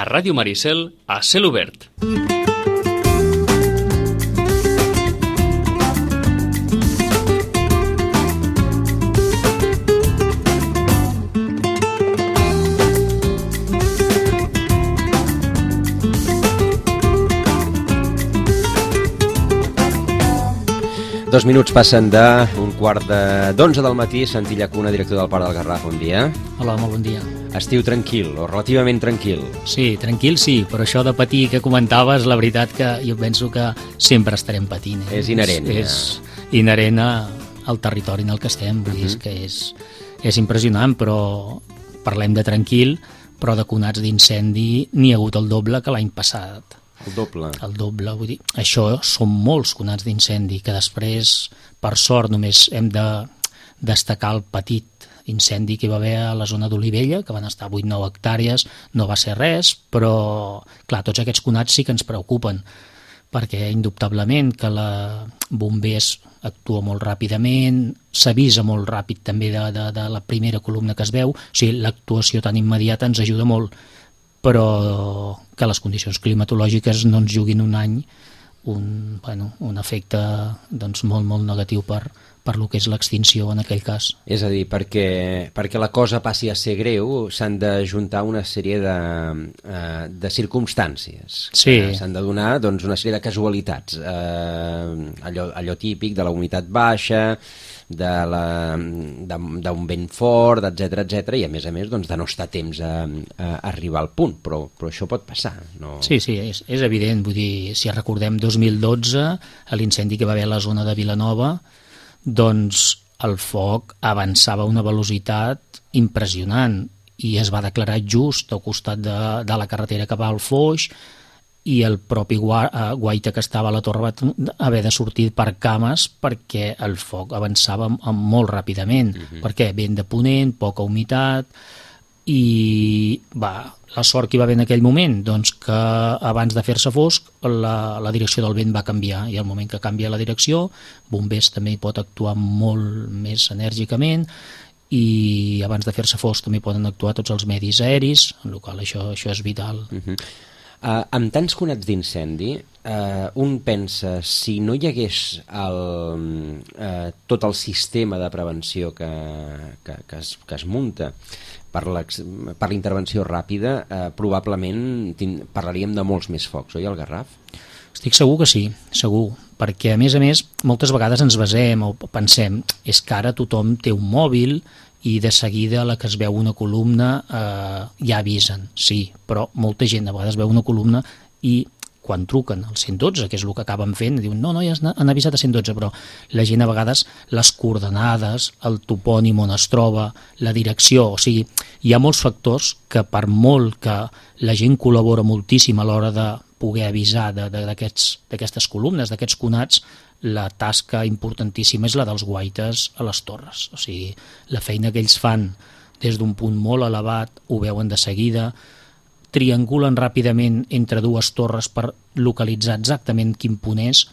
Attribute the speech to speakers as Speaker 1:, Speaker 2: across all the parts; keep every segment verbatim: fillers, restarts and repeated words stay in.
Speaker 1: A Ràdio Maricel, a cel obert.
Speaker 2: Dos minuts passen d'un quart d'onze del matí. Santi Llacuna, director del Parc del Garraf, bon dia.
Speaker 3: Hola, molt bon dia.
Speaker 2: Estiu tranquil, o relativament tranquil?
Speaker 3: Sí, tranquil sí, però això de patir que comentaves, la veritat que jo penso que sempre estarem patint. Eh?
Speaker 2: És inherent.
Speaker 3: És, és inherent a, al territori en el que estem, vull dir, uh-huh. que és, és impressionant, però parlem de tranquil, però de conats d'incendi n'hi ha hagut el doble que l'any passat.
Speaker 2: El doble.
Speaker 3: El doble, vull dir, això són molts conats d'incendi, que després, per sort, només hem de destacar el petit incendi que hi va haver a la zona d'Olivella, que van estar vuit o nou hectàrees, no va ser res, però, clar, tots aquests conats sí que ens preocupen, perquè indubtablement que la bombers actua molt ràpidament, s'avisa molt ràpid també de, de, de la primera columna que es veu, o sigui, l'actuació tan immediata ens ajuda molt, però que les condicions climatològiques no ens juguin un any un, bueno, un efecte doncs, molt, molt negatiu per, per lo que és l'extinció en aquell cas.
Speaker 2: És a dir, perquè, perquè la cosa passi a ser greu s'han de juntar una sèrie de, uh, de circumstàncies.
Speaker 3: Sí.
Speaker 2: Uh, s'han de donar doncs, una sèrie de casualitats. Uh, allò, allò típic de la humitat baixa, d'un vent fort, etcètera, etcètera, i a més a més doncs, de no estar a temps a, a arribar al punt, però, però això pot passar. No?
Speaker 3: Sí, sí, és, és evident, vull dir, si recordem dos mil dotze, l'incendi que va haver a la zona de Vilanova, doncs el foc avançava a una velocitat impressionant i es va declarar just al costat de, de la carretera que va al Foix, i el propi guaita que estava a la torre va haver de sortir per cames perquè el foc avançava molt ràpidament, uh-huh. perquè vent de ponent, poca humitat, i va, la sort que hi va haver en aquell moment, doncs que abans de fer-se fosc la, la direcció del vent va canviar, i al moment que canvia la direcció, bombers també hi pot actuar molt més enèrgicament, i abans de fer-se fosc també poden actuar tots els medis aeris, en el qual això, això és vital.
Speaker 2: Uh-huh. Uh, amb tants conats d'incendi, uh, un pensa, si no hi hagués el, uh, tot el sistema de prevenció que, que, que, es, que es munta per la intervenció ràpida, uh, probablement parlaríem de molts més focs, oi, al Garraf?
Speaker 3: Estic segur que sí, segur, perquè a més a més moltes vegades ens basem o pensem és que ara tothom té un mòbil i de seguida a la que es veu una columna eh, ja avisen, sí, però molta gent a vegades veu una columna i quan truquen al cent dotze, que és el que acaben fent, diuen no, no, ja han avisat a cent dotze, però la gent a vegades les coordenades, el topònim on es troba, la direcció, o sigui, hi ha molts factors que per molt que la gent col·labora moltíssim a l'hora de poder avisar d'aquestes columnes, d'aquests conats, la tasca importantíssima és la dels guaites a les torres. O sigui, la feina que ells fan des d'un punt molt elevat, ho veuen de seguida, triangulen ràpidament entre dues torres per localitzar exactament quin punt és,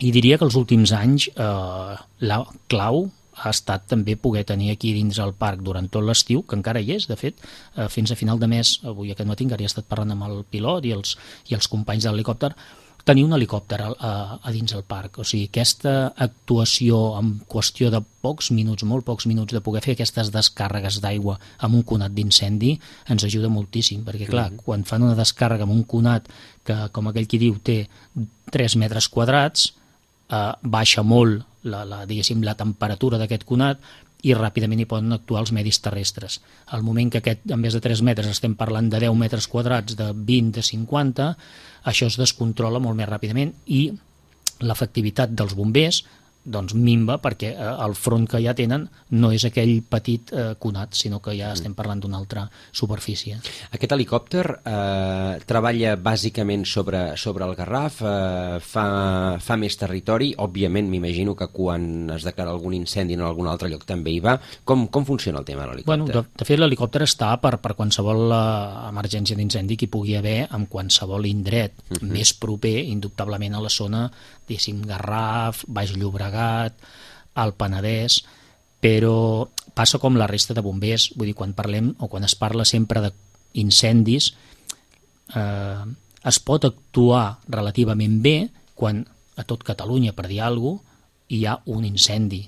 Speaker 3: i diria que els últims anys eh, la clau ha estat també poder tenir aquí dins el parc durant tot l'estiu, que encara hi és, de fet, eh, fins a final de mes, avui aquest matí encara he estat parlant amb el pilot i els, i els companys de l'helicòpter, tenir un helicòpter a, a, a dins el parc. O sigui, aquesta actuació en qüestió de pocs minuts, molt pocs minuts, de poder fer aquestes descàrregues d'aigua amb un conat d'incendi ens ajuda moltíssim, perquè clar, mm-hmm. quan fan una descàrrega amb un conat que, com aquell qui diu, té tres metres quadrats, eh, baixa molt la, la, diguéssim, la temperatura d'aquest conat i ràpidament hi poden actuar els medis terrestres. Al moment que aquest, en vez de tres metres, estem parlant de deu metres quadrats, de vint, de cinquanta, això es descontrola molt més ràpidament i l'efectivitat dels bombers doncs minva perquè eh, el front que ja tenen no és aquell petit eh, conat, sinó que ja estem parlant d'una altra superfície.
Speaker 2: Aquest helicòpter eh, treballa bàsicament sobre, sobre el Garraf, eh, fa, fa més territori, òbviament m'imagino que quan es declara algun incendi en algun altre lloc també hi va. Com, com funciona el tema de l'helicòpter?
Speaker 3: Bueno, de, de fet l'helicòpter està per, per qualsevol uh, emergència d'incendi que hi pugui haver en qualsevol indret, uh-huh. més proper indubtablement a la zona, diguéssim, Garraf, Baix Llobregat, al Penedès, però passa com la resta de bombers, vull dir, quan parlem o quan es parla sempre d'incendis, eh, es pot actuar relativament bé quan a tot Catalunya, per dir alguna cosa, hi ha un incendi.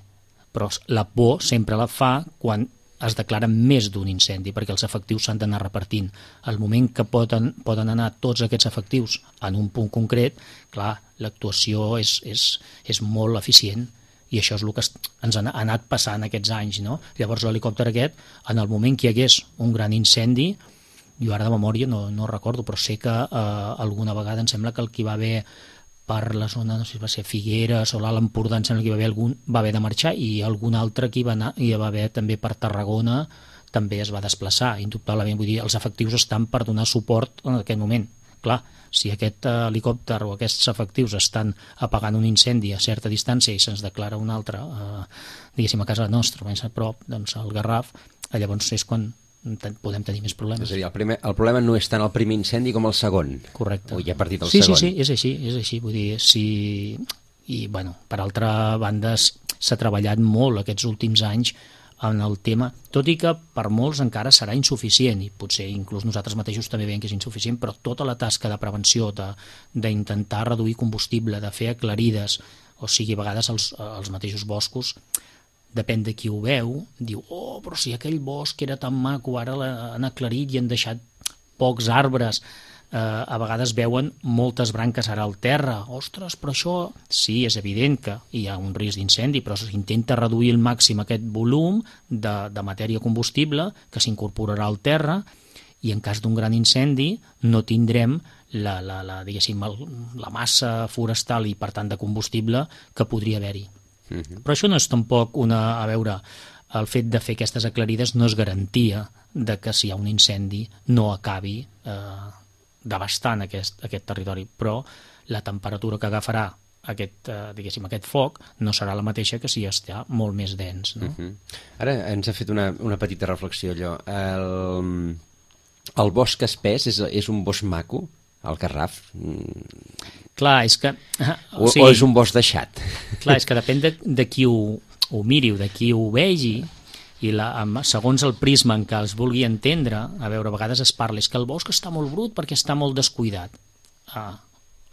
Speaker 3: Però la por sempre la fa quan es declara més d'un incendi, perquè els efectius s'han d'anar repartint. Al moment que poden, poden anar tots aquests efectius en un punt concret, clar, l'actuació és, és, és molt eficient, i això és el que ens ha anat passant aquests anys, no? Llavors l'helicòpter aquest, en el moment que hi hagués un gran incendi, jo ara de memòria no, no recordo, però sé que eh, alguna vegada em sembla que el que va haver per la zona, no sé si va ser Figueres o l'Alt Empordà, em sembla que hi va haver, algun, va haver de marxar, i algun altre que hi va anar, i hi va haver també per Tarragona, també es va desplaçar, indubtablement. Vull dir, els efectius estan per donar suport en aquest moment. Clar, si aquest helicòpter o aquests efectius estan apagant un incendi a certa distància i se'ns declara un altre, eh, diguéssim, a casa nostra, més a prop, doncs al Garraf, llavors és quan podem tenir més problemes.
Speaker 2: És a dir, el, primer, el problema no és tant el primer incendi com el segon.
Speaker 3: Correcte.
Speaker 2: O ja ha partit el
Speaker 3: sí,
Speaker 2: segon.
Speaker 3: Sí, sí, és així, és així. Vull dir, si... I, bueno, per altra banda, s'ha treballat molt aquests últims anys en el tema, tot i que per molts encara serà insuficient, i potser inclús nosaltres mateixos també veiem que és insuficient, però tota la tasca de prevenció, d'intentar reduir combustible, de fer aclarides, o sigui, a vegades els, els mateixos boscos, depèn de qui ho veu, diu, oh, però si aquell bosc era tan maco, ara l'han aclarit i han deixat pocs arbres, eh, a vegades veuen moltes branques ara al terra, ostres, però això sí, és evident que hi ha un risc d'incendi, però s'intenta reduir al màxim aquest volum de, de matèria combustible que s'incorporarà al terra, i en cas d'un gran incendi no tindrem la, la, la, diguéssim, el, la massa forestal i per tant de combustible que podria haver-hi. Però això no és tampoc una... A veure, el fet de fer aquestes aclarides no és garantia de que si hi ha un incendi no acabi eh, devastant aquest, aquest territori, però la temperatura que agafarà aquest, eh, diguéssim, aquest foc no serà la mateixa que si està molt més dens. No?
Speaker 2: Uh-huh. Ara ens ha fet una, una petita reflexió, allò. El, el bosc espès és, és un bosc maco? El Garraf?
Speaker 3: Clar, és que...
Speaker 2: O, o, sigui, o és un bosc deixat?
Speaker 3: Clar, és que depèn de, de qui ho, ho miri o de qui ho vegi, i la, segons el prisma en què els vulgui entendre, a veure, a vegades es parla, és que el bosc està molt brut perquè està molt descuidat. Ah,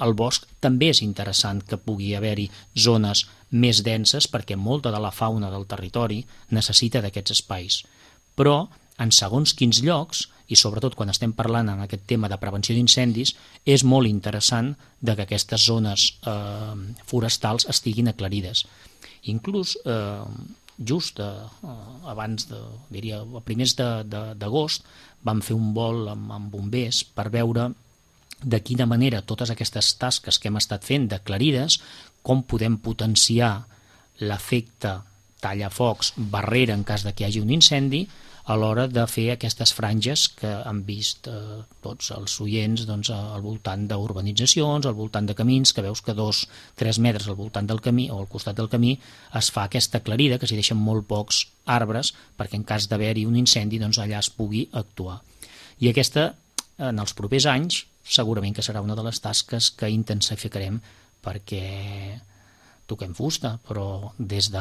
Speaker 3: el bosc també és interessant que pugui haver-hi zones més denses perquè molta de la fauna del territori necessita d'aquests espais. Però en segons quins llocs, i sobretot quan estem parlant en aquest tema de prevenció d'incendis, és molt interessant de que aquestes zones eh, forestals estiguin aclarides. Inclús eh, just eh, abans, de, diria, a primers d'agost, vam fer un vol amb, amb bombers per veure de quina manera totes aquestes tasques que hem estat fent d'aclarides, com podem potenciar l'efecte tallafocs, barrera en cas de que hi hagi un incendi, a l'hora de fer aquestes franges que han vist eh, tots els oients doncs, al voltant d'urbanitzacions, al voltant de camins, que veus que dos, tres metres al voltant del camí o al costat del camí es fa aquesta aclarida, que s'hi deixen molt pocs arbres, perquè en cas d'haver-hi un incendi doncs, allà es pugui actuar. I aquesta, en els propers anys, segurament que serà una de les tasques que intensificarem, perquè toquem fusta, però des de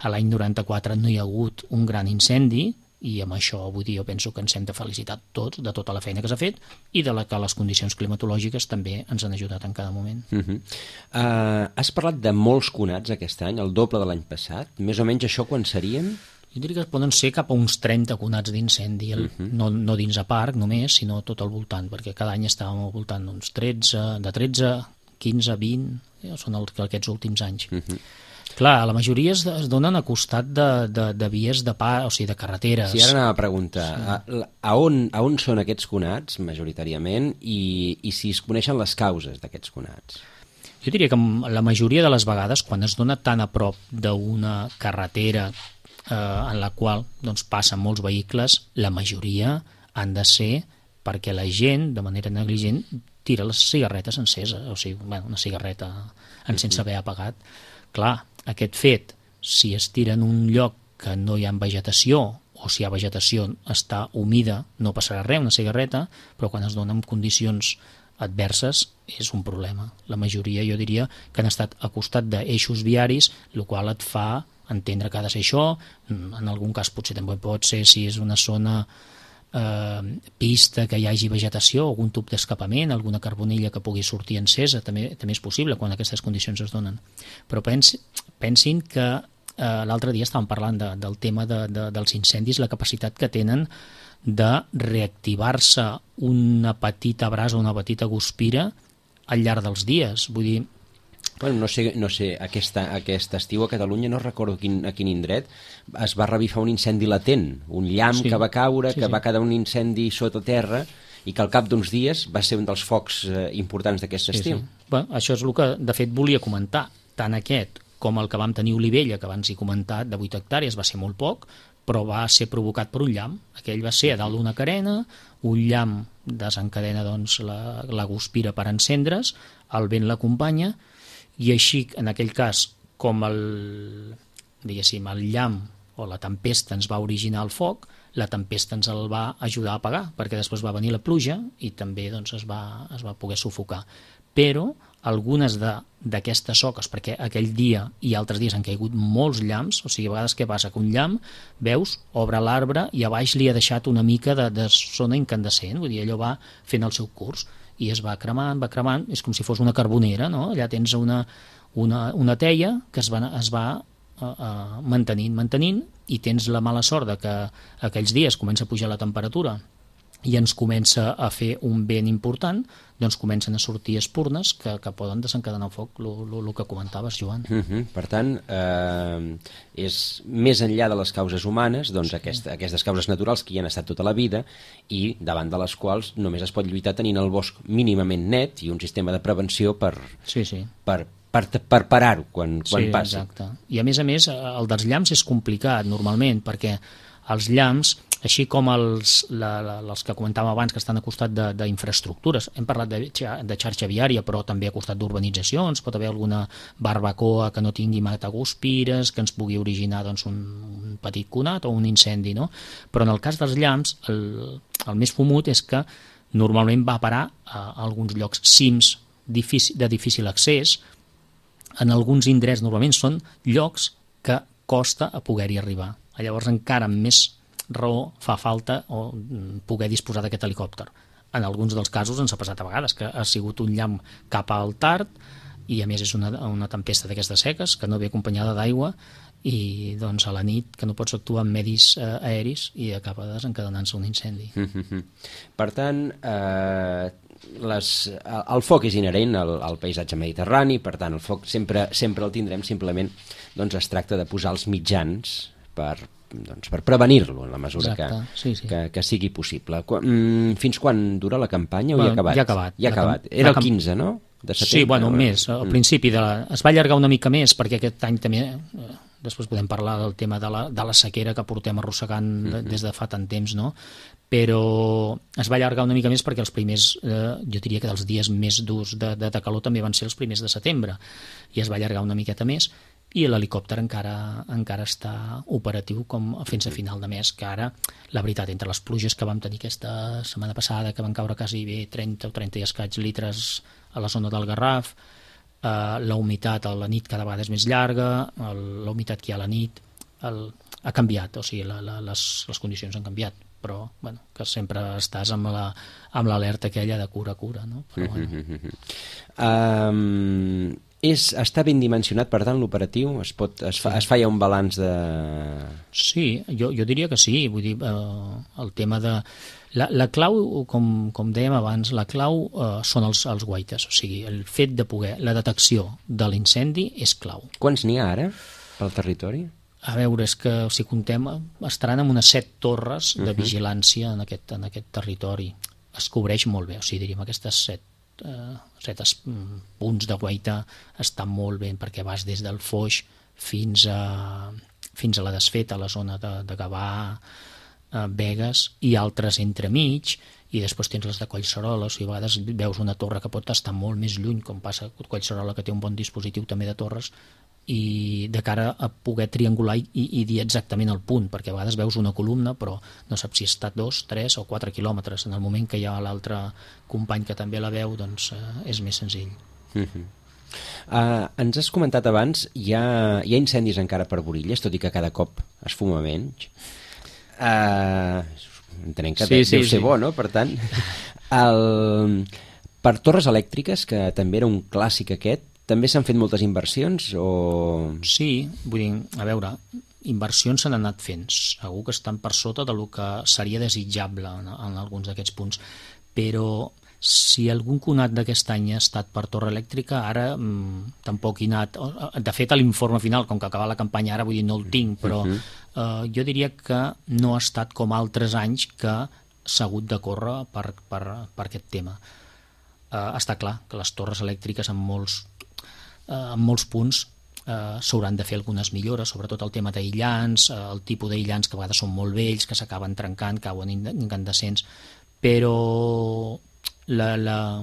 Speaker 3: l'any noranta-quatre no hi ha hagut un gran incendi, i amb això vull dir, jo penso que ens hem de felicitar tots de tota la feina que s'ha fet i de la que les condicions climatològiques també ens han ajudat en cada moment.
Speaker 2: Uh -huh. uh, has parlat de molts conats aquest any, el doble de l'any passat. Més o menys això quan serien?
Speaker 3: Jo diria que poden ser cap a uns trenta conats d'incendi, uh -huh. no, no dins a parc només, sinó tot al voltant, perquè cada any estàvem al voltant d'uns tretze, de tretze, quinze, vint, són els, aquests últims anys. Uh -huh. Clar, la majoria es, es donen a costat de, de, de vies de pa, o sigui, de carreteres.
Speaker 2: Sí, ara anava a preguntar, sí. a, a, on, a on són aquests conats, majoritàriament, i, i si es coneixen les causes d'aquests conats?
Speaker 3: Jo diria que la majoria de les vegades, quan es dona tan a prop d'una carretera eh, en la qual doncs, passen molts vehicles, la majoria han de ser perquè la gent, de manera negligent, tira les cigarretes enceses, o sigui, bueno, una cigarreta en sense haver apagat. Clar, aquest fet, si es tira en un lloc que no hi ha vegetació, o si hi ha vegetació està humida, no passarà res, una cigarreta, però quan es dona en condicions adverses és un problema. La majoria, jo diria, que han estat a costat d'eixos viaris, el qual et fa entendre que ha de ser això. En algun cas potser també pot ser si és una zona eh, pista que hi hagi vegetació, algun tub d'escapament, alguna carbonilla que pugui sortir encesa, també, també és possible quan aquestes condicions es donen. Però pens, pensin que eh, l'altre dia estàvem parlant de, del tema de, de, dels incendis, la capacitat que tenen de reactivar-se una petita brasa, una petita guspira al llarg dels dies. Vull dir,
Speaker 2: bueno, no sé, no sé aquesta, aquest estiu a Catalunya, no recordo quin, a quin indret, es va revifar un incendi latent, un llamp sí. que va caure, sí, que sí. va quedar un incendi sota terra i que al cap d'uns dies va ser un dels focs eh, importants d'aquest sí, estiu.
Speaker 3: Sí. Bueno, això és el que de fet volia comentar. Tant aquest com el que vam tenir a Olivella, que abans he comentat, de vuit hectàrees, va ser molt poc, però va ser provocat per un llamp. Aquell va ser a dalt d'una carena, un llamp desencadena doncs, la, la guspira per encendre's, el vent l'acompanya, i així, en aquell cas, com el, diguéssim, el llamp o la tempesta ens va originar el foc, la tempesta ens el va ajudar a apagar, perquè després va venir la pluja i també doncs, es, va, es va poder sufocar. Però algunes d'aquestes soques, perquè aquell dia i altres dies han caigut molts llamps, o sigui, a vegades què passa? Que un llamp, veus, obre l'arbre i a baix li ha deixat una mica de, de zona incandescent, vull dir, allò va fent el seu curs, i es va cremant, va cremant, és com si fos una carbonera, no? Allà tens una, una, una teia que es va, es va uh, uh, mantenint, mantenint, i tens la mala sort de que aquells dies comença a pujar la temperatura i ens comença a fer un vent important, doncs comencen a sortir espurnes que, que poden desencadenar el foc, el que comentaves, Joan.
Speaker 2: Uh -huh. Per tant, eh, és més enllà de les causes humanes, doncs sí. aquesta, aquestes causes naturals que hi han estat tota la vida i davant de les quals només es pot lluitar tenint el bosc mínimament net i un sistema de prevenció per,
Speaker 3: sí, sí.
Speaker 2: per, per, per parar-ho quan, quan
Speaker 3: sí,
Speaker 2: passi.
Speaker 3: Exacte. I a més a més, el dels llamps és complicat normalment, perquè els llamps, així com els, la, la, els que comentàvem abans que estan a costat d'infraestructures, hem parlat de, de xarxa viària, però també a costat d'urbanitzacions, pot haver alguna barbacoa que no tingui mataguspires, que ens pugui originar doncs, un, un petit conat o un incendi, no? Però en el cas dels llamps, el, el més fumut és que normalment va parar a alguns llocs cims difícil, de difícil accés. En alguns indrets normalment són llocs que costa a poder-hi arribar. Llavors encara amb més raó fa falta o poder disposar d'aquest helicòpter. En alguns dels casos ens ha passat a vegades que ha sigut un llamp cap al tard i a més és una, una tempesta d'aquestes seques que no ve acompanyada d'aigua i doncs a la nit que no pots actuar amb medis eh, aeris i acaba desencadenant-se un incendi.
Speaker 2: Per tant, eh, les, el foc és inherent al, al paisatge mediterrani, per tant el foc sempre, sempre el tindrem, simplement doncs, es tracta de posar els mitjans per, doncs, per prevenir-lo en la mesura que,
Speaker 3: sí, sí.
Speaker 2: que, que sigui possible. Quan, fins quan dura la campanya o
Speaker 3: bueno,
Speaker 2: ja ha acabat?
Speaker 3: Ja ha acabat.
Speaker 2: Ja ha acabat. Era el quinze, no? De setembre,
Speaker 3: sí, bueno, un mes. Al principi de la... es va allargar una mica més perquè aquest any també... Eh, després podem parlar del tema de la, de la sequera que portem arrossegant de, des de fa tant temps, no? Però es va allargar una mica més perquè els primers, eh, jo diria que dels dies més durs de, de, de calor també van ser els primers de setembre i es va allargar una miqueta més i l'helicòpter encara, encara està operatiu com fins a final de mes, que ara, la veritat, entre les pluges que vam tenir aquesta setmana passada, que van caure quasi bé trenta o trenta i escaig litres a la zona del Garraf, eh, la humitat a la nit cada vegada és més llarga, el, la humitat que hi ha a la nit el, ha canviat, o sigui, la, la, les, les condicions han canviat, però bueno, que sempre estàs amb la, amb l'alerta aquella de cura, cura, no? Però, bueno.
Speaker 2: um... És, està ben dimensionat, per tant, l'operatiu? Es, pot, es, fa, es fa ja un balanç de...
Speaker 3: Sí, jo, jo diria que sí. Vull dir, eh, el tema de... La, la clau, com, com dèiem abans, la clau eh, són els, els guaites. O sigui, el fet de poder... La detecció de l'incendi és clau.
Speaker 2: Quants n'hi ha ara pel territori?
Speaker 3: A veure, és que si contem, estaran amb unes set torres de vigilància en aquest, en aquest territori. Es cobreix molt bé, o sigui, diríem, aquestes set Uh, set punts de guaita estan molt bé perquè vas des del Foix fins a, fins a la Desfeta, a la zona de, de Gavà, uh, Begues i altres entremig, i després tens les de Collserola, o sigui, a vegades veus una torre que pot estar molt més lluny, com passa a Collserola, que té un bon dispositiu també de torres, i de cara a poder triangular i, i dir exactament el punt, perquè a vegades veus una columna però no saps si està dos, tres o quatre quilòmetres. En el moment que hi ha l'altre company que també la veu, doncs eh, és més senzill.
Speaker 2: Uh-huh. uh, ens has comentat abans, hi ha, hi ha incendis encara per Borilles, tot i que cada cop es fuma menys. Uh, entenem que
Speaker 3: Sí,
Speaker 2: sí,
Speaker 3: sí,
Speaker 2: deu ser
Speaker 3: sí.
Speaker 2: bo, no? Per tant, el... per torres elèctriques, que també era un clàssic aquest, també s'han fet moltes inversions o...
Speaker 3: Sí, vull dir, a veure, inversions s'han anat fent, segur que estan per sota del que seria desitjable en, en alguns d'aquests punts, però si algun conat d'aquest any ha estat per torre elèctrica, ara mmm, tampoc hi ha anat. De fet, a l'informe final, com que acaba la campanya ara, vull dir, no el tinc, però uh-huh. eh, jo diria que no ha estat com altres anys que s'ha hagut de córrer per, per, per aquest tema. Eh, està clar que les torres elèctriques en molts, eh, en molts punts eh, s'hauran de fer algunes millores, sobretot el tema d'aïllants, eh, el tipus d'aïllants que a vegades són molt vells, que s'acaben trencant, cauen incandescents, però la, la,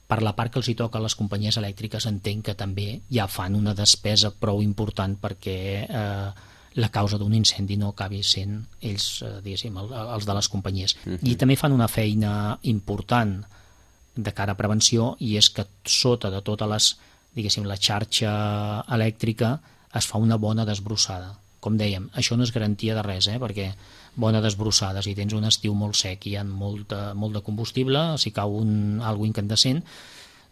Speaker 3: per la part que els hi toca a les companyies elèctriques entenc que també ja fan una despesa prou important perquè eh, la causa d'un incendi no acabi sent ells, eh, diguéssim, el, els de les companyies. Uh-huh. I també fan una feina important de cara a prevenció, i és que sota de totes les, diguéssim, la xarxa elèctrica es fa una bona desbrossada. Com dèiem, això no és garantia de res, eh? Perquè bona desbrossada, si tens un estiu molt sec i hi ha molt de, molt de combustible, si cau un, algo incandescent,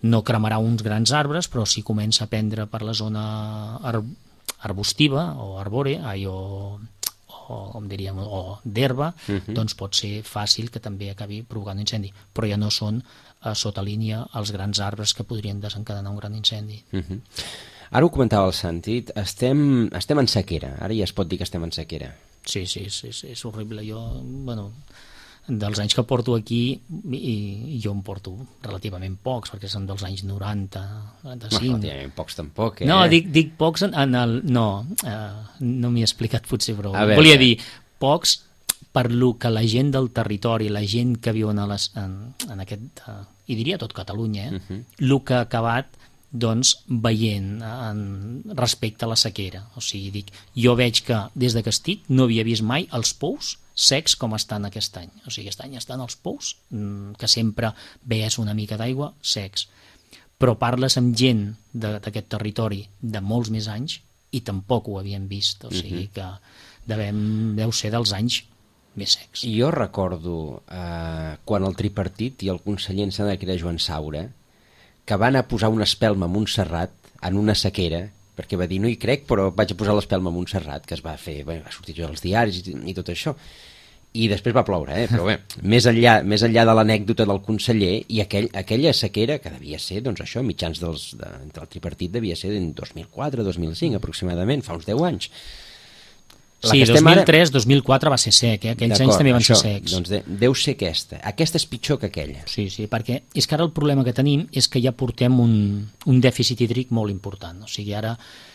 Speaker 3: no cremarà uns grans arbres, però si comença a prendre per la zona ar, arbustiva o arbòrea, ai, o, o, com diríem, o d'herba, uh-huh. doncs pot ser fàcil que també acabi provocant un incendi, però ja no són a sota línia els grans arbres que podrien desencadenar un gran incendi.
Speaker 2: Uh-huh. Ara ho comentava el Santi, estem, estem en sequera, ara ja es pot dir que estem en sequera.
Speaker 3: Sí, sí, sí, sí, és horrible. Jo, bueno, dels anys que porto aquí, i, i jo en porto relativament pocs, perquè són dels anys noranta, noranta-cinc.
Speaker 2: No, relativament pocs tampoc, eh?
Speaker 3: No, dic, dic pocs en, en el... No, eh, no m'hi he explicat potser prou.
Speaker 2: veure.
Speaker 3: Volia dir, pocs per lo que la gent del territori, la gent que viuen a les, en, en aquest... Eh, i diria tot Catalunya, eh? Uh-huh. Lo que ha acabat doncs veient en, respecte a la sequera. O sigui, dic, jo veig que des de que estic no havia vist mai els pous secs com estan aquest any. O sigui, aquest any estan els pous, que sempre veies una mica d'aigua, secs. Però parles amb gent d'aquest territori de molts més anys i tampoc ho havien vist. O sigui que devem, deu ser dels anys més secs.
Speaker 2: Jo recordo eh, quan el tripartit i el conseller en sembla que era Joan Saura, que va anar a posar una espelma a Montserrat en una sequera, perquè va dir, no hi crec, però vaig a posar l'espelma a Montserrat, que es va fer, bé, va sortir als diaris i, i tot això. I després va ploure, eh? Però bé, més enllà, més enllà de l'anècdota del conseller, i aquell, aquella sequera, que devia ser, doncs això, mitjans dels, de, del tripartit, devia ser en dos mil quatre dos mil cinc aproximadament, fa uns deu anys. La
Speaker 3: sí, dos mil tres dos mil quatre va ser sec, eh? Aquells anys també van
Speaker 2: això,
Speaker 3: ser secs.
Speaker 2: Doncs de, deu ser aquesta. Aquesta és pitjor que aquella.
Speaker 3: Sí, sí, perquè és que ara el problema que tenim és que ja portem un, un dèficit hídric molt important. O sigui, ara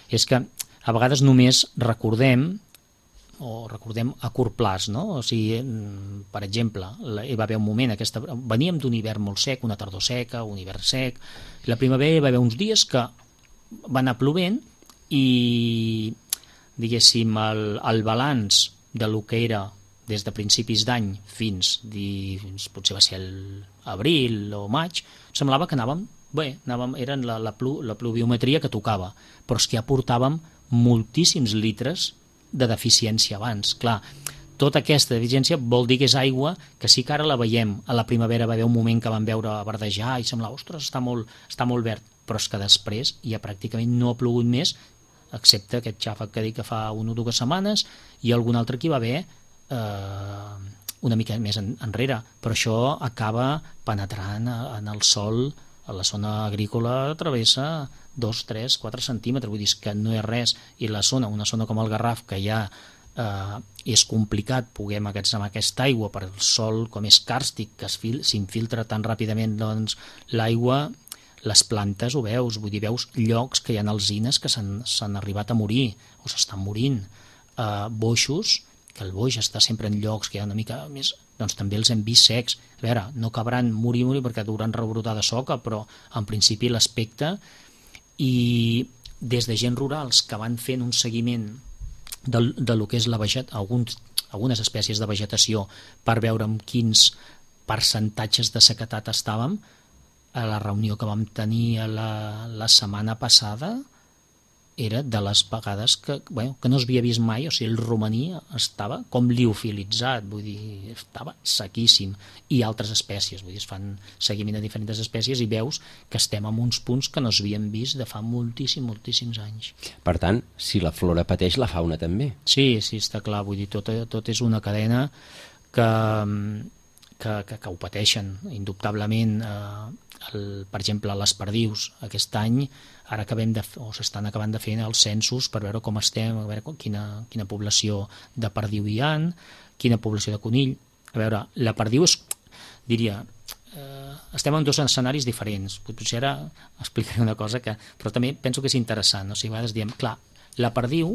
Speaker 3: és que a vegades només recordem o recordem a curt plaç, no? O sigui, per exemple, hi va haver un moment, aquesta, veníem d'un hivern molt sec, una tardor seca, un hivern sec, la primavera hi va haver uns dies que va anar plovent i diguéssim, el, el balanç de lo que era des de principis d'any fins, fins potser va ser l'abril o maig, semblava que anàvem bé, anàvem, eren la, la, plu, la pluviometria que tocava, però és que ja portàvem moltíssims litres de deficiència abans. Clar, tota aquesta deficiència vol dir que és aigua que sí que ara la veiem. A la primavera va haver un moment que vam veure verdejar i semblava, ostres, està molt, està molt verd, però és que després ja pràcticament no ha plogut més, excepte aquest xàfec que dic que fa una o dues setmanes, i algun altre que hi va haver eh, una mica més en, enrere, però això acaba penetrant en el sòl, a la zona agrícola travessa dos, tres, quatre centímetres, vull dir que no és res, i la zona, una zona com el Garraf, que ja eh, és complicat poder emmagatzemar aquesta aigua per el sòl com és càrstic, que s'infiltra tan ràpidament, doncs l'aigua, les plantes ho veus, vull dir, veus llocs que hi ha alzines que s'han arribat a morir o s'estan morint, uh, boixos, que el boix està sempre en llocs que hi ha una mica més, doncs també els hem vist secs. A veure, no cabran morir, morir perquè hauran rebrotar de soca, però en principi l'aspecte, i des de gent rurals que van fent un seguiment de, de lo que és la veget, alguns, algunes espècies de vegetació per veure amb quins percentatges de sequetat estàvem, a la reunió que vam tenir la, la setmana passada era de les vegades que, bueno, que no s'havia vist mai, o sigui, el romaní estava com liofilitzat, vull dir, estava sequíssim, i altres espècies, vull dir, es fan seguiment de diferents espècies i veus que estem en uns punts que no s'havien vist de fa moltíssim, moltíssims anys.
Speaker 2: Per tant, si la flora pateix, la fauna també.
Speaker 3: Sí, sí, està clar, vull dir, tot, tot és una cadena que, que, que, que ho pateixen, indubtablement. Eh, el, per exemple, les perdius, aquest any, ara acabem de, o s'estan acabant de fer els censos per veure com estem, a veure quina, quina població de perdiu hi ha, quina població de conill. A veure, la perdiu és, diria, eh, estem en dos escenaris diferents. Potser ara explicaré una cosa que, però també penso que és interessant. O sigui, a vegades diem, clar, la perdiu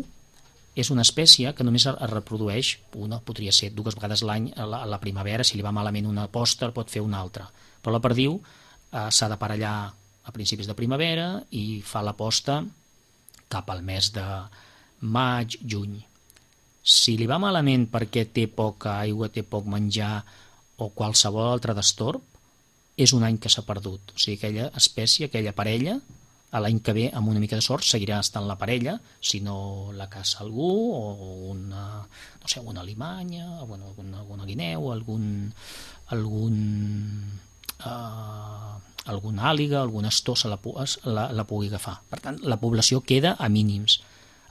Speaker 3: és una espècie que només es reprodueix, una podria ser dues vegades l'any a, a la primavera, si li va malament una posta pot fer una altra, però la perdiu eh, s'ha d'aparellar a principis de primavera i fa la posta cap al mes de maig, juny. Si li va malament perquè té poca aigua, té poc menjar o qualsevol altre destorb, és un any que s'ha perdut. O sigui, aquella espècie, aquella parella, a l'any que ve, amb una mica de sort, seguirà estant la parella, si no la caça algú, o una, no sé, una alimanya, bueno, alguna, alguna guineu, algun, algun, uh, alguna àliga, alguna astó se la, la, la pugui agafar. Per tant, la població queda a mínims.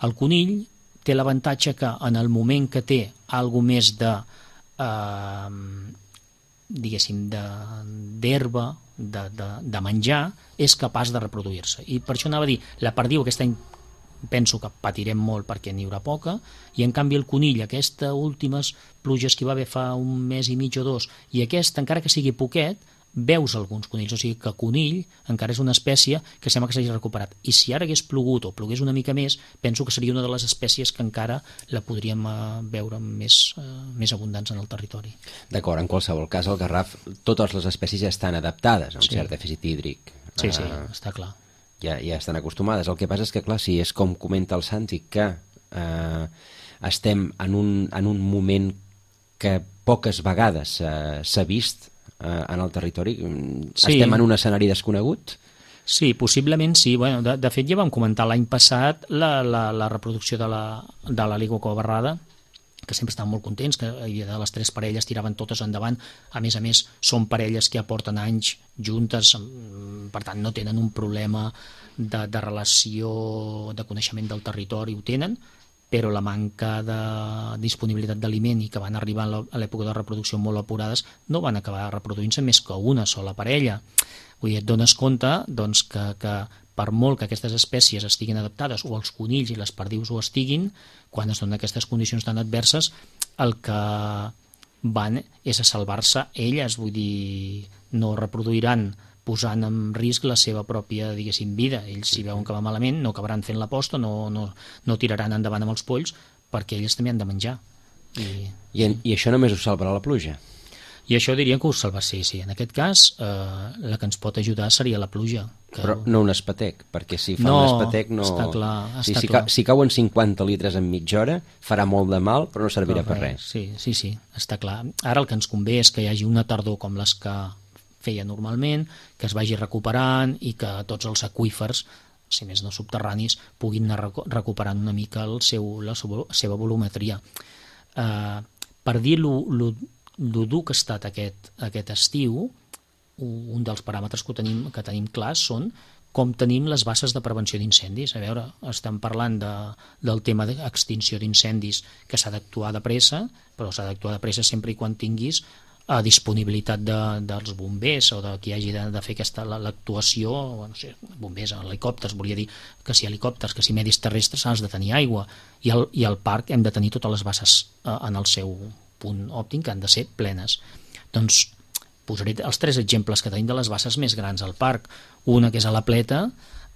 Speaker 3: El conill té l'avantatge que en el moment que té alguna més de, uh, diguéssim, d'herba, de, de, de menjar, és capaç de reproduir-se. I per això anava a dir, la perdiu aquest any penso que patirem molt perquè n'hi haurà poca, i en canvi el conill, aquestes últimes pluges que hi va haver fa un mes i mig o dos, i aquest, encara que sigui poquet, veus alguns conills, o sigui que conill encara és una espècie que sembla que s'hagi recuperat, i si ara hagués plogut o plogués una mica més, penso que seria una de les espècies que encara la podríem veure més, eh, més abundants en el territori.
Speaker 2: D'acord, en qualsevol cas, al Garraf totes les espècies ja estan adaptades a un sí. cert dèficit hídric.
Speaker 3: Sí, sí,
Speaker 2: uh,
Speaker 3: està clar.
Speaker 2: Ja, ja estan acostumades. El que passa és que, clar, si és com comenta el Santi, que eh, estem en un, en un moment que poques vegades uh, s'ha vist en el territori, sí. Estem en un escenari desconegut?
Speaker 3: Sí, possiblement sí. Bueno, de, de fet, ja vam comentar l'any passat la, la, la reproducció de l'àliga covarrada, que sempre estaven molt contents, que de les tres parelles tiraven totes endavant. A més a més, són parelles que aporten anys juntes, per tant, no tenen un problema de, de relació, de coneixement del territori, ho tenen, però la manca de disponibilitat d'aliment i que van arribar a l'època de reproducció molt apurades no van acabar reproduint-se més que una sola parella. Vull dir, et dones compte doncs, que, que per molt que aquestes espècies estiguin adaptades, o els conills i les perdius ho estiguin, quan es donen aquestes condicions tan adverses, el que van és a salvar-se elles, vull dir, no reproduiran posant en risc la seva pròpia, diguéssim, vida. Ells, si veuen que va malament, no acabaran fent la posta, no, no, no tiraran endavant amb els polls, perquè ells també han de menjar. I,
Speaker 2: I, en, i això només us salvarà la pluja?
Speaker 3: I això diria que us salva, sí, sí. En aquest cas, eh, la que ens pot ajudar seria la pluja. Que...
Speaker 2: Però no un espatec, perquè si fa
Speaker 3: no,
Speaker 2: un espatec no...
Speaker 3: està clar. Està
Speaker 2: sí, si,
Speaker 3: clar.
Speaker 2: Ca, si cauen cinquanta litres en mitja hora, farà molt de mal, però no servirà però, per res.
Speaker 3: Sí, sí, sí, està clar. Ara el que ens convé és que hi hagi una tardor com les que feia normalment, que es vagi recuperant i que tots els aqüífers, si més no subterranis, puguin anar recuperant una mica el seu, la seva volumetria. Eh, per dir lo, lo, lo dur que ha estat aquest, aquest estiu, un dels paràmetres que tenim, que tenim clars són com tenim les bases de prevenció d'incendis. A veure, estem parlant de, del tema d'extinció d'incendis, que s'ha d'actuar de pressa, però s'ha d'actuar de pressa sempre i quan tinguis a disponibilitat de, dels bombers o de qui hagi de, de fer aquesta l'actuació, bueno, no sé, bombers, helicòpters, volia dir que si helicòpters, que si medis terrestres has de tenir aigua, i al, i al parc hem de tenir totes les bases eh, en el seu punt òptim, que han de ser plenes. Doncs posaré els tres exemples que tenim de les bases més grans al parc. Una que és a la Pleta,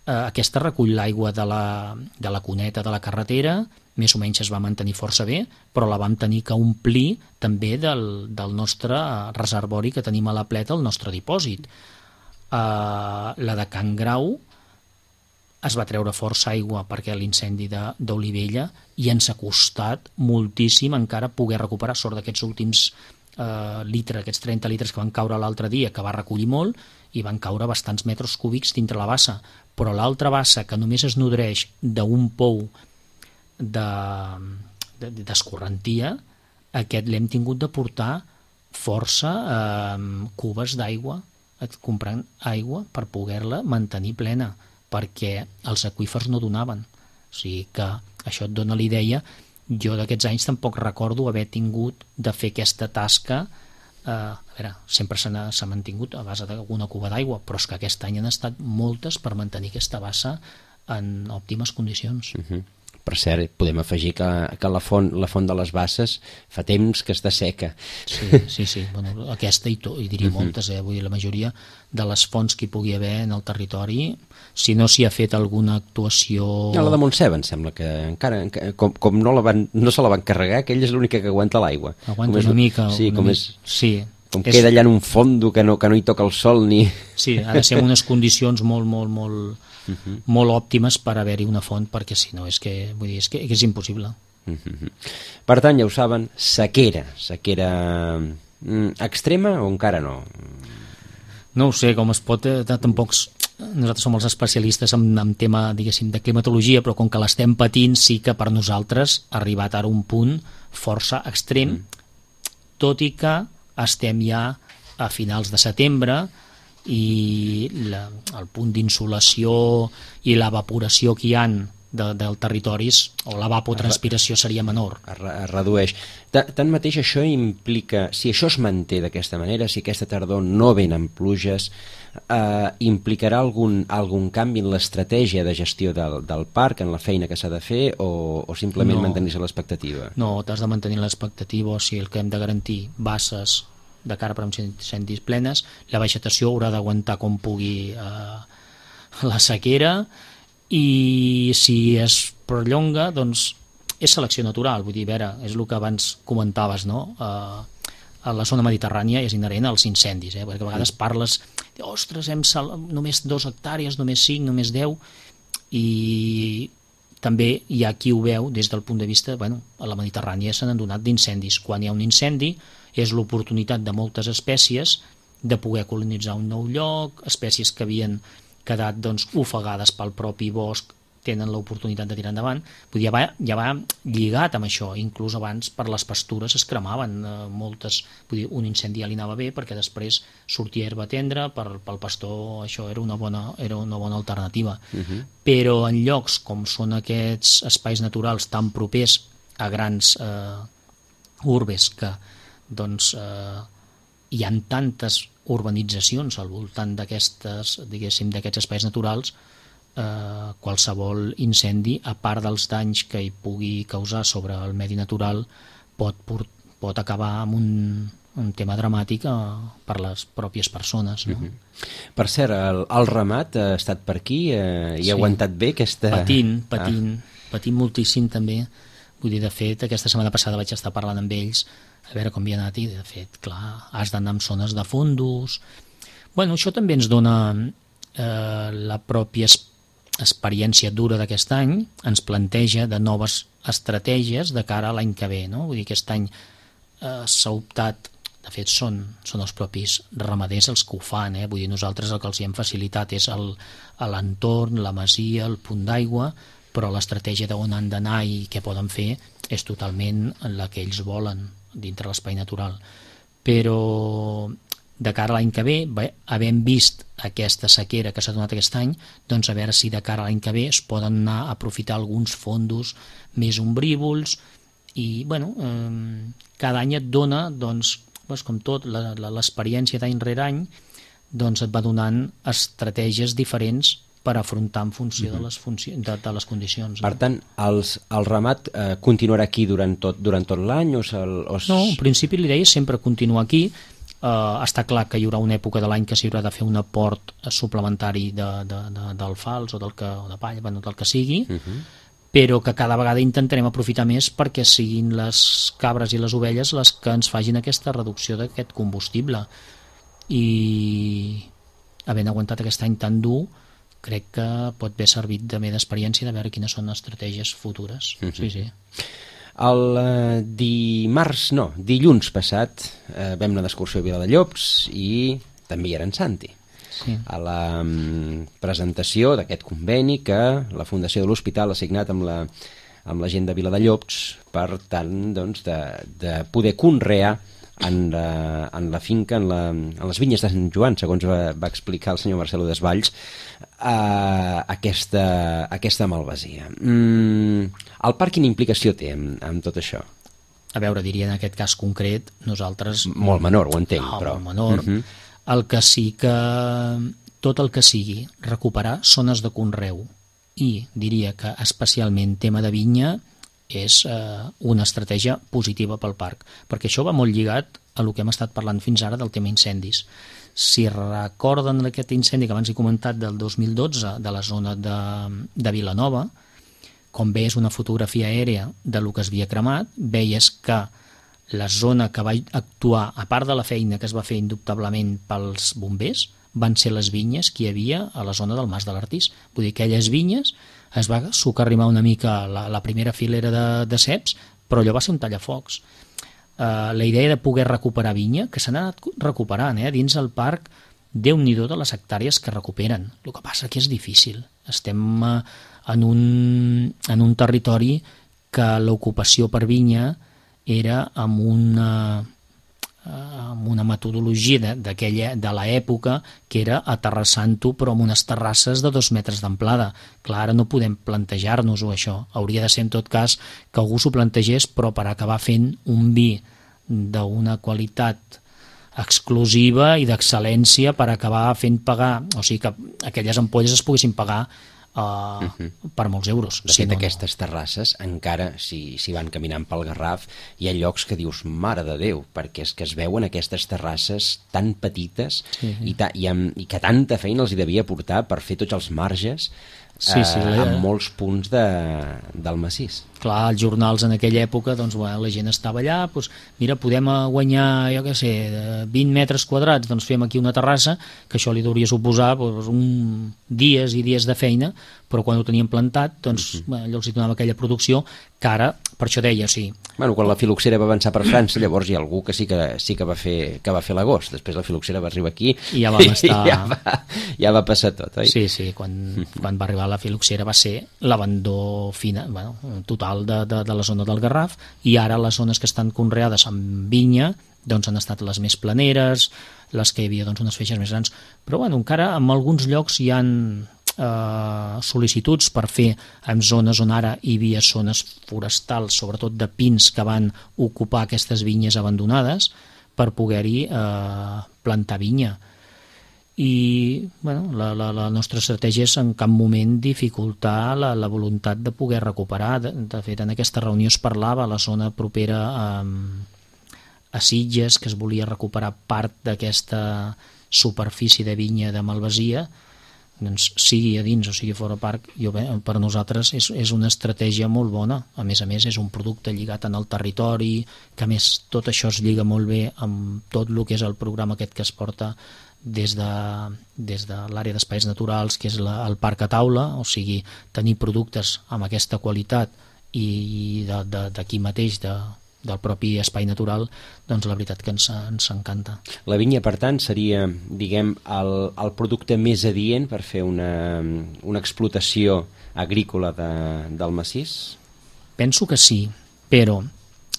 Speaker 3: eh, aquesta recull l'aigua de la, de la cuneta de la carretera, més o menys es va mantenir força bé, però la vam tenir que omplir també del, del nostre reservori que tenim a la Pleta, el nostre dipòsit. Uh, la de Can Grau es va treure força aigua perquè l'incendi d'Olivella, i ens ha costat moltíssim encara poder recuperar, sort d'aquests últims uh, litres, aquests trenta litres que van caure l'altre dia, que va recollir molt, i van caure bastants metres cúbics dintre la bassa, però l'altra bassa, que només es nodreix d'un pou d'escorrentia, de, de, aquest l'hem tingut de portar força eh, cubes d'aigua, comprant aigua per poder-la mantenir plena, perquè els aqüífers no donaven. O sigui que això et dona l'idea. Jo d'aquests anys tampoc recordo haver tingut de fer aquesta tasca. Eh, a veure, sempre s'ha mantingut a base d'alguna cuba d'aigua, però és que aquest any han estat moltes per mantenir aquesta bassa en òptimes condicions.
Speaker 2: Uh-huh. Per cert, podem afegir que, que la, font, la font de les basses fa temps que està seca.
Speaker 3: Sí, sí, sí. Bueno, aquesta i, to, i diria uh-huh. moltes, eh? Vull dir, la majoria de les fonts que hi pugui haver en el territori, si no s'hi ha fet alguna actuació...
Speaker 2: Ja, la de Montseba, em sembla que encara, com, com no, la van, no se la van carregar, aquella és l'única que aguanta l'aigua.
Speaker 3: Aguanta una mica.
Speaker 2: Sí,
Speaker 3: una
Speaker 2: com
Speaker 3: mica.
Speaker 2: és...
Speaker 3: Sí.
Speaker 2: Com és... queda allà en un fondo que no, que no hi toca el sol ni...
Speaker 3: Sí, ha de ser en unes condicions molt, molt, molt... Uh-huh. molt òptimes per haver-hi una font, perquè si no és que, vull dir, és que, que és impossible.
Speaker 2: Uh-huh. Per tant, ja ho saben, sequera, sequera mm, extrema o encara no?
Speaker 3: No ho sé, com es pot, eh, tampoc nosaltres som els especialistes en, en tema, diguéssim, de climatologia, però com que l'estem patint, sí que per nosaltres ha arribat ara un punt força extrem, mm. tot i que estem ja a finals de setembre, i la, el punt d'insolació i l'evaporació que hi ha de, del territoris, o l'evapotranspiració seria menor.
Speaker 2: Es, re, es redueix. Tanmateix això implica, si això es manté d'aquesta manera, si aquesta tardor no venen pluges, eh, implicarà algun, algun canvi en l'estratègia de gestió del, del parc, en la feina que s'ha de fer, o, o simplement no, mantenir-se l'expectativa?
Speaker 3: No, t'has de mantenir l'expectativa, o sigui, el que hem de garantir, basses de cara per uns incendis plenes, la vegetació haurà d'aguantar com pugui eh, la sequera, i si es perllonga, doncs és selecció natural, vull dir, vera, és el que abans comentaves, no? Eh, a la zona mediterrània és inherent als incendis, eh? Perquè a vegades parles, ostres, hem sal... només dos hectàrees, només cinc, només deu, i també hi ha qui ho veu des del punt de vista, bueno, a la Mediterrània se n'han donat d'incendis. Quan hi ha un incendi és l'oportunitat de moltes espècies de poder colonitzar un nou lloc, espècies que havien quedat doncs, ofegades pel propi bosc tenen l'oportunitat de tirar endavant. Vull dir, ja, va, ja va lligat amb això, inclús abans per les pastures es cremaven eh, moltes, vull dir, un incendi ja li anava bé perquè després sortia herba tendra, per, pel pastor això era una bona, era una bona alternativa. Uh-huh. Però en llocs com són aquests espais naturals tan propers a grans eh, urbes que doncs, eh, hi ha tantes urbanitzacions al voltant d'aquestes, diguéssim, d'aquests espais naturals, eh, qualsevol incendi, a part dels danys que hi pugui causar sobre el medi natural, pot, pot acabar amb un, un tema dramàtic eh, per les pròpies persones. No?
Speaker 2: Uh-huh. Per cert, el, el ramat ha estat per aquí eh, i sí. ha aguantat bé aquesta...
Speaker 3: Patint, patint, ah. patint moltíssim també. Vull dir, de fet, aquesta setmana passada vaig estar parlant amb ells a veure com havia anat i, de fet, clar, has d'anar en zones de fondos. Bueno, això també ens dona eh, la pròpia experiència dura d'aquest any, ens planteja de noves estratègies de cara a l'any que ve, no? Vull dir, aquest any eh, s'ha optat, de fet són, són els propis ramaders els que ho fan, eh? Vull dir, nosaltres el que els hi hem facilitat és el, l'entorn, la masia, el punt d'aigua, però l'estratègia d'on han d'anar i què poden fer és totalment la que ells volen dintre l'espai natural. Però de cara a l'any que ve, bé, havent vist aquesta sequera que s'ha donat aquest any, doncs a veure si de cara a l'any que ve es poden anar a aprofitar alguns fondos més ombrívols i, bueno, eh, cada any et dona, doncs, doncs com tot, la, la, l'experiència d'any rere any, doncs et va donant estratègies diferents per afrontar en funció de les, funci... de, de les condicions.
Speaker 2: Per tant, els, el ramat eh, continuarà aquí durant tot, durant tot l'any? O el, o...
Speaker 3: No, en principi l'idea és sempre continuar aquí. Eh, està clar que hi haurà una època de l'any que s'hi haurà de fer un aport suplementari de, de, de, d'alfals o, del que, o de palla, bueno, del que sigui, uh-huh. però que cada vegada intentarem aprofitar més perquè siguin les cabres i les ovelles les que ens facin aquesta reducció d'aquest combustible. I havent aguantat aquest any tan dur, crec que pot haver servit també d'experiència de veure quines són les estratègies futures. Uh-huh. Sí, sí.
Speaker 2: El eh, dimarts, no, dilluns passat eh, vam anar d'excursió a Viladellops i també hi era en Santi. sí. a la um, presentació d'aquest conveni que la Fundació de l'Hospital ha signat amb la, amb la gent de Viladellobs per tant doncs, de, de poder conrear en la, en la finca, en, la, en les vinyes de Sant Joan, segons va, va explicar el senyor Marcelo Desvalls, eh, aquesta, aquesta malvasia. Mm, el parc quina implicació té amb, amb tot això?
Speaker 3: A veure, diria en aquest cas concret, nosaltres...
Speaker 2: Molt menor, ho entenc,
Speaker 3: no,
Speaker 2: però...
Speaker 3: Molt menor. Uh-huh. El que sí que... Tot el que sigui recuperar zones de conreu i diria que especialment tema de vinya és eh, una estratègia positiva pel parc, perquè això va molt lligat a el que hem estat parlant fins ara del tema incendis. Si recorden aquest incendi que abans he comentat del dos mil dotze de la zona de, de Vilanova, com veies una fotografia aèrea de lo que es havia cremat, veies que la zona que va actuar, a part de la feina que es va fer indubtablement pels bombers, van ser les vinyes que hi havia a la zona del Mas de l'Artís. Vull dir, aquelles vinyes es va socarrimar una mica la, la primera filera de, de ceps, però allò va ser un tallafocs. Uh, la idea de poder recuperar vinya, que s'han anat recuperant, eh? Dins el parc, Déu-n'hi-do de les hectàrees que recuperen. El que passa que és difícil. Estem uh, en, un, en un territori que l'ocupació per vinya era amb una... amb una metodologia d'aquella de l'època que era aterrassant-ho però amb unes terrasses de dos metres d'amplada. Clar, ara no podem plantejar-nos-ho això. Hauria de ser en tot cas que algú s'ho plantegés però per acabar fent un vi d'una qualitat exclusiva i d'excel·lència per acabar fent pagar, o sigui que aquelles ampolles es poguessin pagar Uh, uh-huh. per molts euros.
Speaker 2: De fet, sí, no, aquestes terrasses, encara si, si van caminant pel Garraf, hi ha llocs que dius, mare de Déu, perquè és que es veuen aquestes terrasses tan petites sí, sí. I, ta, i, amb, i que tanta feina els hi devia portar per fer tots els marges sí, sí, eh, en molts punts de, del massís.
Speaker 3: Clar, els jornals en aquella època, doncs, bueno, la gent estava allà, doncs, mira, podem guanyar, jo què sé, vint metres quadrats, doncs fem aquí una terrassa, que això li hauria suposar doncs, un dies i dies de feina, però quan ho tenien plantat, doncs, uh-huh. bueno, allò els donava aquella producció, que ara, per això deia, o sigui...
Speaker 2: Bueno, quan la filoxera va avançar per França, llavors hi ha algú que sí que, sí que va fer, que va fer l'agost, després la filoxera va arribar aquí
Speaker 3: i ja vam estar...
Speaker 2: i ja va, ja va passar tot, oi?
Speaker 3: Sí, sí, quan, uh-huh. quan va arribar la filoxera va ser l'abandó fina, bueno, total de, de, de la zona del Garraf, i ara les zones que estan conreades amb vinya doncs han estat les més planeres, les que hi havia doncs, unes feixes més grans, però bueno, encara en alguns llocs hi han eh, sol·licituds per fer en zones on ara hi havia zones forestals, sobretot de pins que van ocupar aquestes vinyes abandonades per poder-hi eh, plantar vinya. I bueno, la, la, la nostra estratègia és en cap moment dificultar la, la voluntat de poder recuperar. De, de fet, en aquesta reunió es parlava a la zona propera a, a Sitges, que es volia recuperar part d'aquesta superfície de vinya de malvasia, doncs sigui a dins o sigui fora parc, jo, bé, per nosaltres és, és una estratègia molt bona. A més a més, és un producte lligat en el territori, que a més tot això es lliga molt bé amb tot el que és el programa aquest que es porta des de, des de l'àrea d'espais naturals, que és la, el parc a taula, o sigui, tenir productes amb aquesta qualitat i d'aquí mateix, de, del propi espai natural, doncs la veritat que ens, ens encanta.
Speaker 2: La vinya, per tant, seria, diguem, el, el producte més adient per fer una, una explotació agrícola de, del massís?
Speaker 3: Penso que sí, però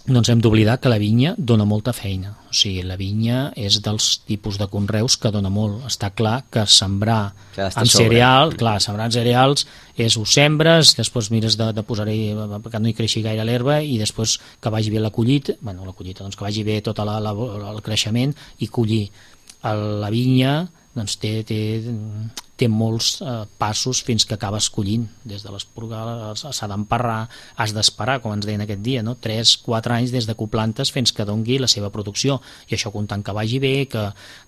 Speaker 3: no ens hem d'oblidar que la vinya dona molta feina. O sigui, la vinya és dels tipus de conreus que dona molt. Està clar que sembrar en cereal, clar, sembrar en cereals és ho sembres, després mires de, de posar-hi perquè no hi creixi gaire l'herba i després que vagi bé la collita, bueno, la collita, doncs que vagi bé tot la, la, el creixement i collir. La vinya doncs té, té, té molts eh, passos fins que acabes collint, des de l'esporgar s'ha d'emparrar, has d'esperar, com ens deien aquest dia, no? tres quatre anys des de que ho plantes fins que dongui la seva producció, i això comptant que vagi bé, que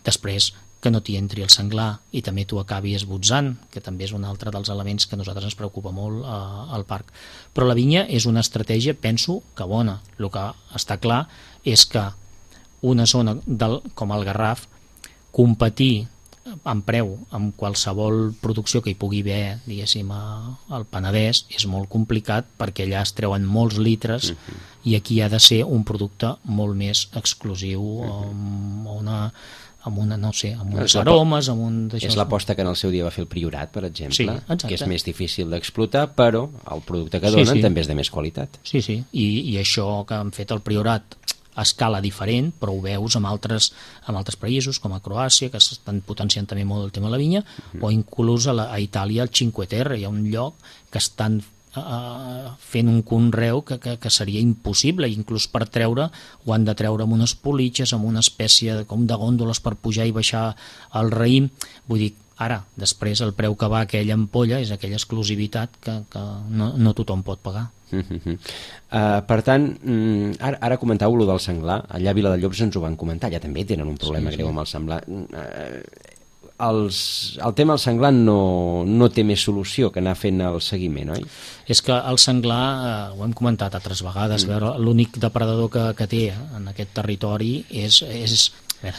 Speaker 3: després que no t'hi entri el senglar i també t'ho acabi esbotzant, que també és un altre dels elements que a nosaltres ens preocupa molt eh, al parc. Però la vinya és una estratègia, penso, que bona. El que està clar és que una zona del, com el Garraf, competir en preu amb qualsevol producció que hi pugui haver, diguéssim, al Penedès és molt complicat perquè allà es treuen molts litres uh-huh. i aquí ha de ser un producte molt més exclusiu uh-huh. o una, amb una, no sé, amb uns
Speaker 2: És la-
Speaker 3: aromes, amb un d'això.
Speaker 2: És l'aposta que en el seu dia va fer el Priorat, per exemple,
Speaker 3: Sí, exacte.
Speaker 2: que és més difícil d'explotar, però el producte que
Speaker 3: Sí,
Speaker 2: donen
Speaker 3: sí.
Speaker 2: també és de més qualitat.
Speaker 3: Sí, sí, I, i això que han fet el Priorat a escala diferent, però ho veus amb altres, amb altres països, com a Croàcia, que estan potenciant també molt el tema de la vinya, mm-hmm. o inclús a, la, a Itàlia, al Cinque Terre, hi ha un lloc que estan uh, fent un conreu que, que, que seria impossible, inclús per treure, ho han de treure amb unes politges, amb una espècie de, com de gòndoles per pujar i baixar el raïm, vull dir, ara, després el preu que va aquella ampolla és aquella exclusivitat que, que no, no tothom pot pagar.
Speaker 2: Uh -huh. uh, per tant, mm, ara, ara comentàveu lo del senglar, allà a Viladellops ens ho van comentar, ja també tenen un problema
Speaker 3: Sí, sí.
Speaker 2: greu amb el senglar. Uh, els, el tema del senglar no, no té més solució que anar fent el seguiment, oi?
Speaker 3: És que el senglar, eh, ho hem comentat altres vegades, mm. veure, l'únic depredador que, que té en aquest territori és... és a veure,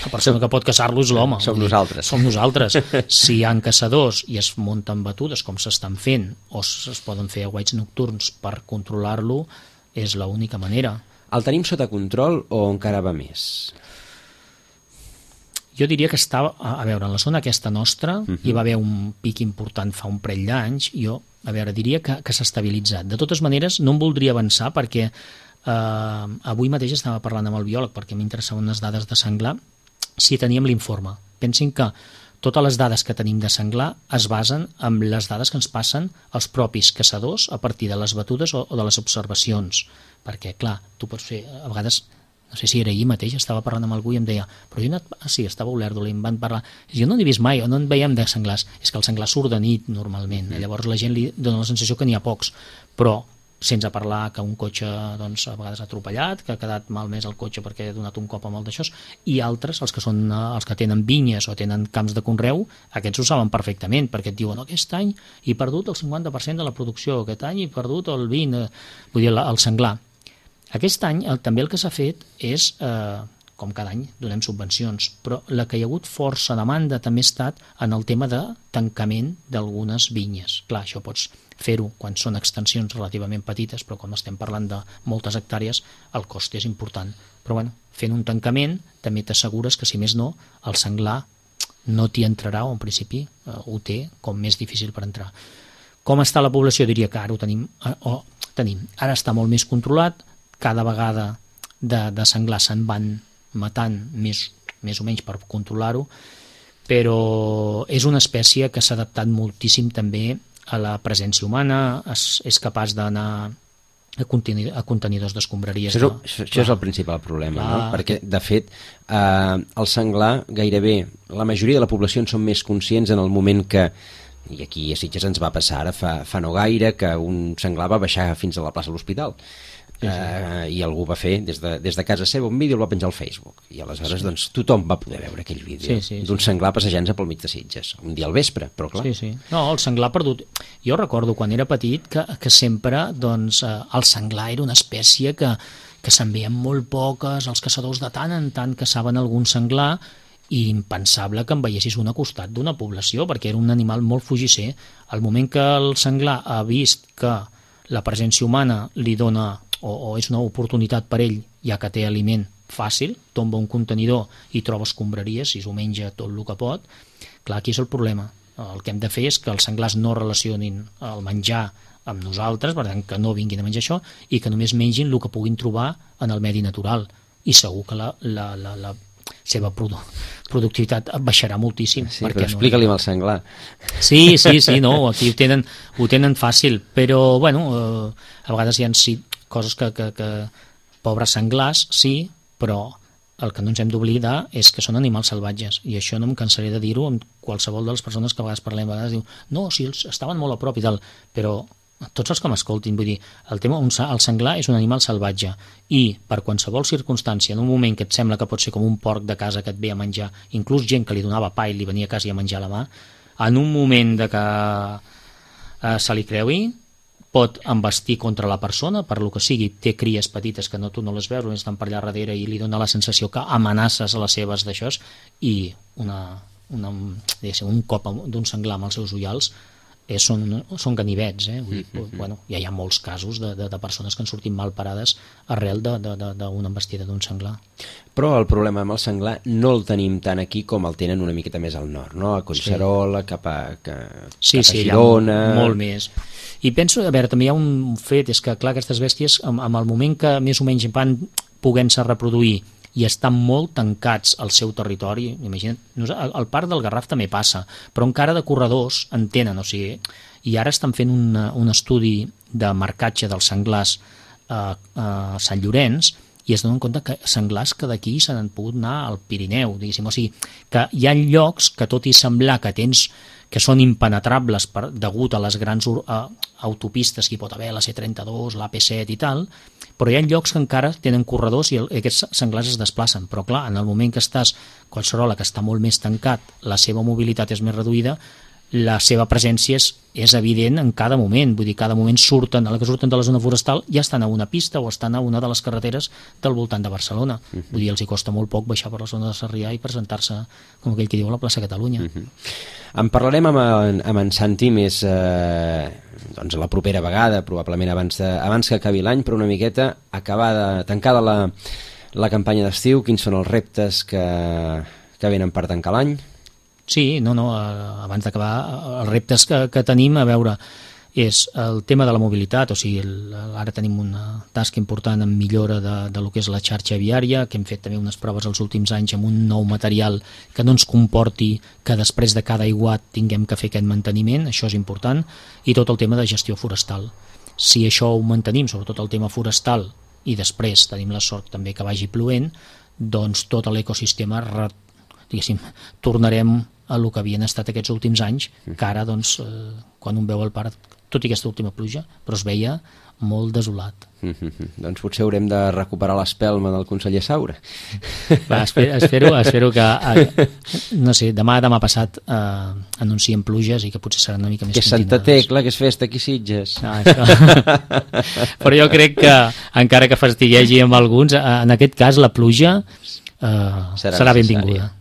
Speaker 3: la persona que pot caçar-lo és l'home.
Speaker 2: Som
Speaker 3: vull dir,
Speaker 2: nosaltres.
Speaker 3: Som nosaltres. Si hi ha caçadors i es munten batudes, com s'estan fent, o es poden fer aguaits nocturns per controlar-lo, és l'única manera.
Speaker 2: El tenim sota control o encara va més?
Speaker 3: Jo diria que està, a veure, en la zona aquesta nostra,
Speaker 2: Uh-huh.
Speaker 3: hi va haver un pic important fa un parell d'anys, jo, a veure, diria que, que s'ha estabilitzat. De totes maneres, no em voldria avançar perquè eh, avui mateix estava parlant amb el biòleg perquè m'interessaven unes dades de senglar, si teníem l'informe. Pensin que totes les dades que tenim de senglar es basen en les dades que ens passen els propis caçadors a partir de les batudes o, o de les observacions, perquè, clar, tu pots fer, a vegades, no sé si era ahir mateix, estava parlant amb algú i em deia, però jo he anat, ah, sí, estava a Olèrdola i em van parlar, jo no n'he vist mai, o no en veiem de senglars, és que el senglar surt de nit normalment, mm. llavors la gent li dona la sensació que n'hi ha pocs, però sense parlar que un cotxe doncs, a vegades ha atropellat, que ha quedat malmès el cotxe perquè ha donat un cop amb el d'això, i altres, els que són els que tenen vinyes o tenen camps de conreu, aquests ho saben perfectament, perquè et diuen, no, aquest any he perdut el cinquanta per cent de la producció, aquest any he perdut el vint, eh, vull dir, el senglar. Aquest any el, també el que s'ha fet és, eh, com cada any, donem subvencions, però la que hi ha hagut força demanda també ha estat en el tema de tancament d'algunes vinyes. Clar, això pots fer-ho quan són extensions relativament petites, però quan estem parlant de moltes hectàrees, el cost és important. Però bueno, fent un tancament també t'assegures que, si més no, el senglar no t'hi entrarà, o en principi eh, ho té com més difícil per entrar. Com està la població? Diria que ara ho tenim, eh, o tenim. Ara està molt més controlat, cada vegada de, de senglar se'n van matant més, més o menys per controlar-ho, però és una espècie que s'ha adaptat moltíssim també a la presència humana, és, és capaç d'anar a, contenidor, a contenidors d'escombraries.
Speaker 2: Això,
Speaker 3: No?
Speaker 2: això, això és el principal problema,
Speaker 3: Clar.
Speaker 2: no? Perquè, de fet, eh, el senglar gairebé, la majoria de la població en són més conscients en el moment que, i aquí a Sitges ens va passar ara fa, fa no gaire, que un senglar va baixar fins a la plaça de l'Hospital. Sí, sí. Uh, i algú va fer des de, des de casa seva un vídeo i el va penjar al Facebook, i aleshores sí. doncs, tothom va poder veure aquell vídeo
Speaker 3: sí, sí,
Speaker 2: d'un
Speaker 3: sí.
Speaker 2: senglar passejant-se pel mig de Sitges un dia al vespre, però clar
Speaker 3: Sí, sí. No, el senglar perdut. Jo recordo quan era petit que, que sempre doncs, eh, el senglar era una espècie que, que se'n veien molt poques, els caçadors de tant en tant caçaven algun senglar, i impensable que en veiessis un a costat d'una població, perquè era un animal molt fugisser. Al moment que el senglar ha vist que la presència humana li dona o, o és una oportunitat per ell, ja que té aliment fàcil, tomba un contenidor i troba escombraries i s'ho menja tot el que pot, clar, aquí és el problema. El que hem de fer és que els senglars no relacionin el menjar amb nosaltres, per tant, que no vinguin a menjar això, i que només mengin el que puguin trobar en el medi natural. I segur que la, la, la, la seva produ productivitat baixarà moltíssim.
Speaker 2: Sí, però explica-li amb el senglar.
Speaker 3: Sí, sí, sí, no, aquí ho tenen, ho tenen fàcil, però, bueno, eh, a vegades hi ha sí, coses que, que, que pobres senglars, sí, però el que no ens hem d'oblidar és que són animals salvatges, i això no em cansaré de dir-ho amb qualsevol de les persones que a vegades parlem, a vegades diu, no, sí, els estaven molt a prop i tal, però tots els que m'escoltin, vull dir, el tema, un, el senglar és un animal salvatge, i per qualsevol circumstància, en un moment que et sembla que pot ser com un porc de casa que et ve a menjar, inclús gent que li donava pa i li venia a casa i a menjar a la mà, en un moment de que eh, se li creui, pot embestir contra la persona, per lo que sigui, té cries petites que no, tu no les veus, només estan per allà darrere i li dona la sensació que amenaces a les seves d'això, i una, una, un cop d'un senglar amb els seus ullals és, són, són ganivets, eh? Vull dir, mm-hmm. bueno, ja hi ha molts casos de, de, de persones que han sortit mal parades arrel d'una embestida d'un senglar.
Speaker 2: Però el problema amb el senglar no el tenim tant aquí com el tenen una miqueta més al nord, no? A Collserola, sí. cap a, que,
Speaker 3: sí,
Speaker 2: cap a
Speaker 3: sí,
Speaker 2: Girona...
Speaker 3: Sí, molt més. I penso, a veure, també hi ha un fet, és que, clar, aquestes bèsties, amb, amb el moment que més o menys van poguent-se reproduir i estan molt tancats al seu territori, imagina't, el parc del Garraf també passa, però encara de corredors en tenen, o sigui, i ara estan fent un, un estudi de marcatge dels senglars a, a Sant Llorenç, i es donen compte que senglars que d'aquí se n'han pogut anar al Pirineu, diguéssim, o sigui, que hi ha llocs que tot i semblar que tens que són impenetrables per, degut a les grans uh, autopistes que hi pot haver, la C trenta-dos, l'A P set i tal, però hi ha llocs que encara tenen corredors i el, aquests senglars es desplacen, però clar, en el moment que estàs a Collserola, que està molt més tancat, la seva mobilitat és més reduïda, la seva presència és, és evident en cada moment, vull dir, cada moment surten, a la que surten de la zona forestal ja estan a una pista o estan a una de les carreteres del voltant de Barcelona. Uh-huh. Vull dir, els hi costa molt poc baixar per la zona de Sarrià i presentar-se, com aquell que diu, a la plaça Catalunya. Uh-huh.
Speaker 2: En parlarem amb en, amb en Santi més eh, doncs la propera vegada, probablement abans, de, abans que acabi l'any, però una miqueta acabada, tancada la, la campanya d'estiu, quins són els reptes que, que venen per tancar l'any?
Speaker 3: Sí, no, no, abans d'acabar, els reptes que, que tenim, a veure, és el tema de la mobilitat, o sigui, el, ara tenim una tasca important en millora de, de lo que és la xarxa viària, que hem fet també unes proves els últims anys amb un nou material que no ens comporti que després de cada aiguat tinguem que fer aquest manteniment, això és important, i tot el tema de gestió forestal. Si això ho mantenim, sobretot el tema forestal, i després tenim la sort també que vagi plovent, doncs tot l'ecosistema, diguéssim, tornarem a el que havien estat aquests últims anys, que ara, doncs, eh, quan un veu el parc, tot i aquesta última pluja, però es veia molt desolat.
Speaker 2: Mm-hmm. Doncs potser haurem de recuperar l'espelma del conseller Saura.
Speaker 3: Va, espero, espero, espero que, eh, no sé, demà, demà passat eh, anuncien pluges i que potser seran una mica més
Speaker 2: que
Speaker 3: continuades.
Speaker 2: Santa Tecla, que és festa aquí Sitges.
Speaker 3: Ah, però jo crec que, encara que fastiguegi amb alguns, en aquest cas la pluja eh, serà, serà benvinguda.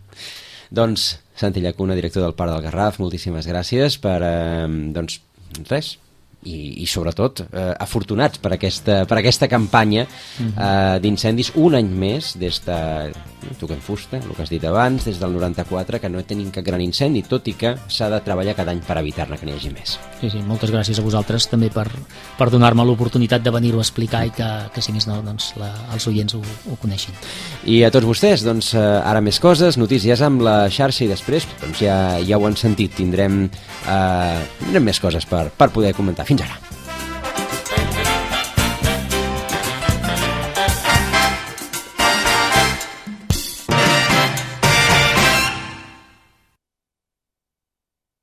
Speaker 2: Doncs, Santi Llacuna, director del Parc del Garraf, moltíssimes gràcies per, eh, doncs, res, i, i sobretot eh, afortunats per aquesta, per aquesta campanya eh, d'incendis un any més des de, toquem fusta, el que has dit abans, des del noranta-quatre, que no tenim cap gran incendi, tot i que s'ha de treballar cada any per evitar-ne que n'hi hagi més.
Speaker 3: Sí, sí, moltes gràcies a vosaltres també per, per donar-me l'oportunitat de venir-ho a explicar i que, que si més no, doncs, la, els oients ho, ho coneixin.
Speaker 2: I a tots vostès, doncs, ara més coses, notícies amb la xarxa i després doncs ja, ja ho han sentit, tindrem, eh, tindrem més coses per, per poder comentar. Fins ara.